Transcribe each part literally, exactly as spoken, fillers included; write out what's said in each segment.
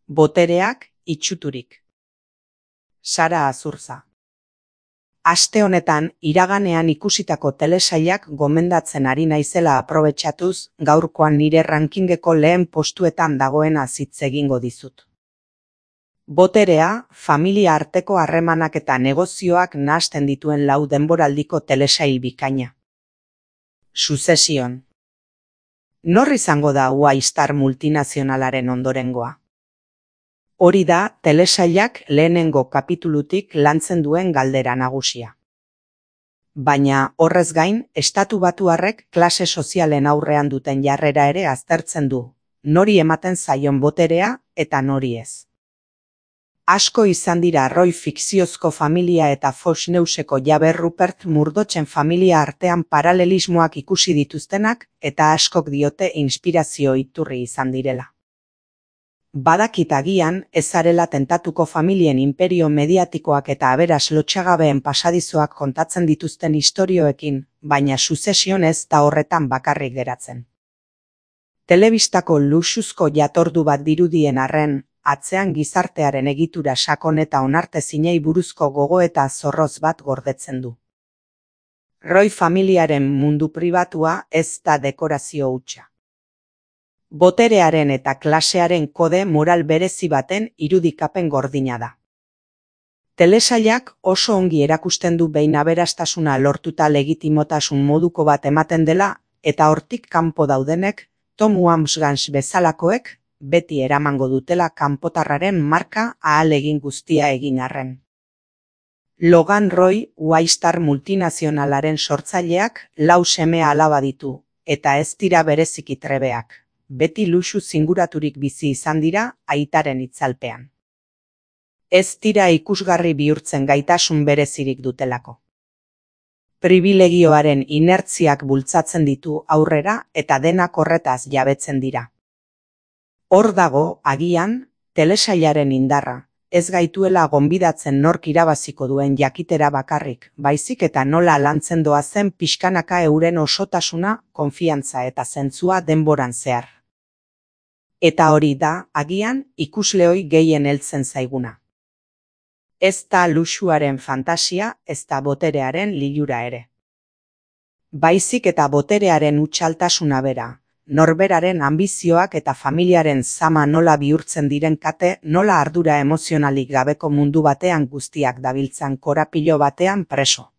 Botereak itxuturik. Sara Azurza. Aste honetan iraganean ikusitako telesailak gomendatzen ari naizela aprobetxatuz, gaurkoan nire rankingeko lehen postuetan dagoena hitz egingo dizut. Boterea, familia arteko harremanak eta negozioak nahasten dituen lau denboraldiko telesail bikaina. Succession. Nor izango da Y-Star multinazionalaren ondorengoa? Hori da telesailak lehenengo kapitulutik lantzen duen galdera nagusia. Baina, horrez gain, estatu batuarrek klase sozialen aurrean duten jarrera ere aztertzen du, nori ematen zaion boterea eta nori ez. Asko izan dira Roy fikziozko familia eta Fox Newseko jabe Rupert Murdochen familia artean paralelismoak ikusi dituztenak eta askok diote inspirazio iturri izan direla. Badakit agian ez zarela tentatuko familien inperio mediatikoak eta aberas lotxagabeen pasadizoak kontatzen dituzten istorioekin, baina Succession ez da horretan bakarrik geratzen. Telebistako luxuzko jatordu bat dirudien arren, atzean gizartearen egitura sakon eta onartezinei buruzko gogoeta zorroz bat gordetzen du. Roy familiaren mundu pribatua ez da dekorazio hutsa. Boterearen eta klasearen kode moral berezi baten irudikapen gordina da. Telesailak oso ongi erakusten du behin aberastasuna lortuta legitimotasun moduko bat ematen dela eta hortik kanpo daudenek, Tom Wambsgans bezalakoek, beti eramango dutela kanpotarraren marka ahalegin guztia egin arren. Logan Roy, Y-Star multinazionalaren sortzaileak lau seme alaba ditu, eta ez dira bereziki trebeak. Beti luxu zinguraturik bizi izan dira aitaren itzalpean. Ez dira ikusgarri bihurtzen gaitasun berezirik dutelako. Pribilegioaren inertziak bultzatzen ditu aurrera eta denak horretaz jabetzen dira. Hor dago, agian, telesailaren indarra, ez gaituela gonbidatzen nork irabaziko duen jakitera bakarrik, baizik eta nola lantzen doazen pixkanaka euren osotasuna, konfiantza eta zentzua denboran zehar. Eta hori da, agian, ikusleoi gehien heltzen zaiguna. Ez da luxuaren fantasia, ez da boterearen lilura ere. Baizik eta boterearen hutsaltasuna bera, norberaren anbizioak eta familiaren zama nola bihurtzen diren kate, nola ardura emozionalik gabeko mundu batean guztiak dabiltzan korapilo batean preso.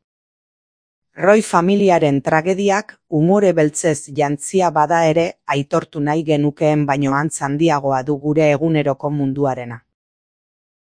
Roy familiaren tragediak umore beltzez jantzia bada ere aitortu nahi genukeen baino antz handiagoa du gure eguneroko munduarena.